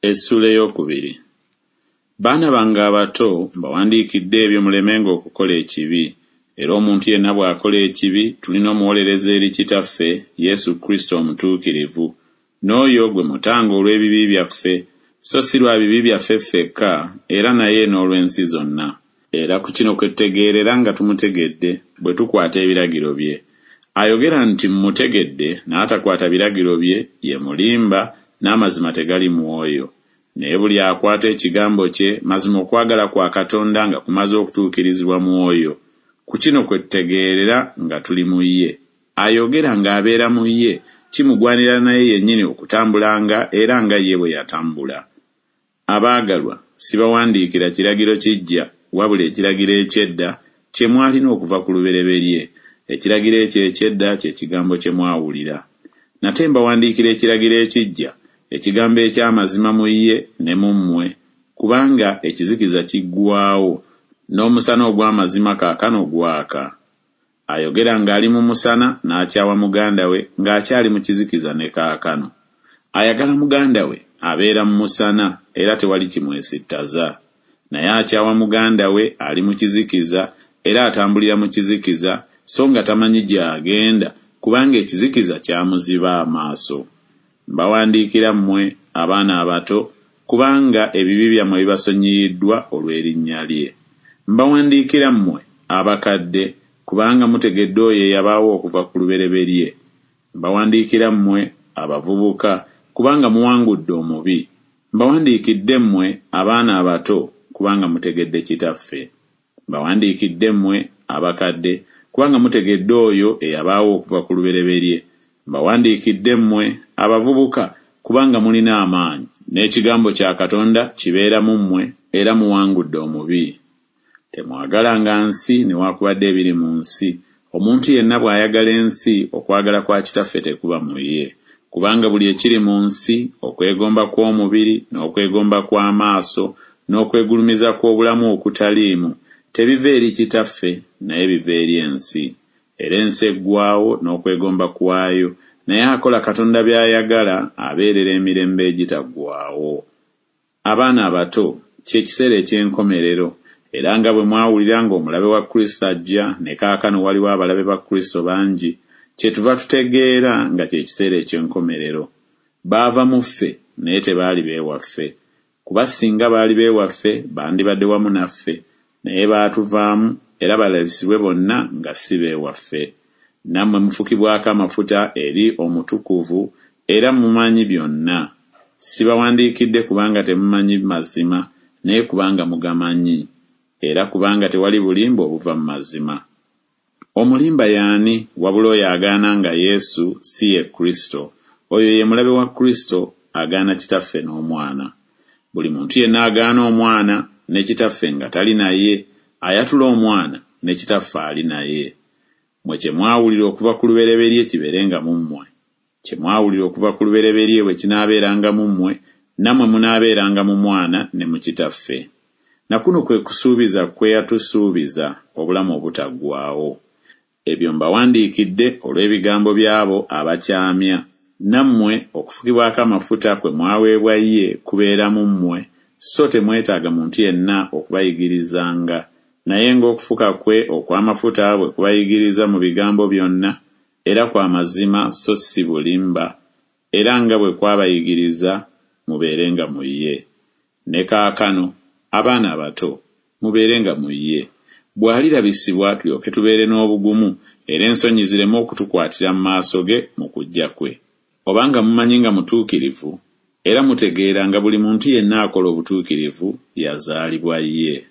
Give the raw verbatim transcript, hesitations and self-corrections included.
Essuula ey'okubiri. Baana bange abato, mbawandiikidde ebyo mulemenga okukola ekibi. Era omuntu yenna bw'akola ekibi, tulina omuwolereza eri Kitaffe, Yesu Kristo omutuukirivu. N'oyo gwe mutango olw'ebibi byaffe, so si lwa bibi byaffe ffekka, era naye n'olw'ensi zonna. Era ku kino kwe tutegeerera nga tumutegedde, bwe tukwata ebiragiro bye. Ayogera nti Mmutegedde, n'atakwata biragiro bye, ye mulimba, n'amazima tegali mu oyo. Naye buli akwata ekigambo kye, mazima okwagala kwa Katonda nga kumaze okutuukirizibwa mu oyo. Ku kino kwe tutegeerera nga tuli mu ye. Ayogera ng'abeera mu ye, kimugwanira naye yennyini okutambulanga era nga ye bwe yatambula. Abaagalwa, sibawandiikira kiragiro kiggya, wabula ekiragiro eky'edda kye mwalina okuva ku lubereberye. Ekiragiro ekyo eky'edda kye kigambo kye mwawulira. Nate mbawandiikira ekiragiro ekiggya, ekigambo eky'amazima mu ye ne mu mmwe, kubanga ekizikiza kiggwaawo, n'omusana ogw'amazima kaakano gwaka. Ayogera ng'ali mu musana n'akyawa muganda we ng'akyali mu kizikiza ne kaakano. Ayagala muganda we abeera mu musana era tewali kimwesittaza. Naye akyawa muganda we ali mu kizikiza era atambulira mu kizikiza, so nga tamanyi gy'agenda, kubanga ekizikiza kyamuziba amaaso. Mbawandiikira mmwe, abaana abato, kubanga ebibi byammwe bibasonyiyiddwa olw'erinnya lye. Mbawandiikira mmwe, abakadde, kubanga mutegedde oyo eyabaawo okuva ku lubereberye. Mbawandiikira mmwe, abavubuka, kubanga muwangudde omubi. Mbawandiikidde mmwe, abaana abato, kubanga mutegedde Kitaffe. Mbawandiikidde mmwe, abakadde, kubanga mutegedde oyo eyabaawo okuva ku lubereberye. Mbawandiikidde mmwe, abavubuka, kubanga mulina amaanyi, n'ekigambo kya Katonda kibeera mu mmwe, era muwangudde omubi. Temwagalanga nsi newaakubadde ebiri mu nsi. Omuntu yenna bw'ayagala ensi, okwagala kwa Kitaffe tekuba mu ye. Kubanga buli ekiri mu nsi, okwegomba kw'omubiri, n'okwegomba kw'amaaso, n'okwegulumiza kw'obulamu okutaliimu, tebiva eri Kitaffe, naye biva eri ensi. Era ensi eggwaawo n'okwegomba kwayo, naye akola Katonda by'ayagala abeerera emirembe egitaggwaawo. Abaana abato, kye kiseera eky'enkomerero, era nga bwe mwawulira ng'omulabe wa Kristo ajja, ne kaakano waliwo abalabe ba Kristo bangi, kyetuva tutegeera nga kye kiseera eky'enkomerero. Baava mu ffe, naye tebaali beewaffe. Kuba singa baali beewaffe, bandibadde wamu naffe, naye baatuvaamu era balabisibwe bonna nga si beewaffe. Nammwe mufukibwako amafuta eri Omutukuvu, era mumanyi byonna. Sibawandiikidde kubanga temumanyi mazima, naye kubanga mugamanyi, era kubanga tewali bulimba obuva mu mazima. Omulimba y'ani wabula oyo agaana nga Yesu si ye Kristo? Oyo ye mulabe wa Kristo, agaana Kitaffe n'Omwana. Buli muntu yenna agaana Omwana ne Kitaffe nga tali naye, ayatula Omwana ne Kitaffe ali naye. Mmwe kye mwawulira okuva ku lubereberye kibeerenga mu mmwe. Kye mwawulira okuva ku lubereberye bwe kinaabeeranga mu mmwe, nammwe munaabeeranga mu Mwana ne mu Kitaffe. Na kuno kwe kusuubiza kwe yatusuubiza, obulamu obutaggwaawo. Ebyo mbawandiikidde olw'ebigambo by'abo abakyamya. Nammwe okufukibwako amafuta kwe mwaweebwa ye kubeera mu mmwe, so temwetaaga muntu yenna okubayigirizanga. Naye ng'okufuka kwe okw'amafuta bwe kubayigiriza mu bigambo byonna, era kwa mazima so si bulimba, era nga bwe kwabayigiriza, mubeerenga mu ye. Ne kaakano, abaana abato, mubeerenga mu ye. Bw'alirabisibwa tulyoke tubeere n'obugumu, era ensonyi zireme okutukwatira mu maaso ge mu kujja kwe. Obanga mumanyi nga mutuukirivu, era mutegeera nga buli muntu yenna akola obutuukirivu yazaalibwa ye.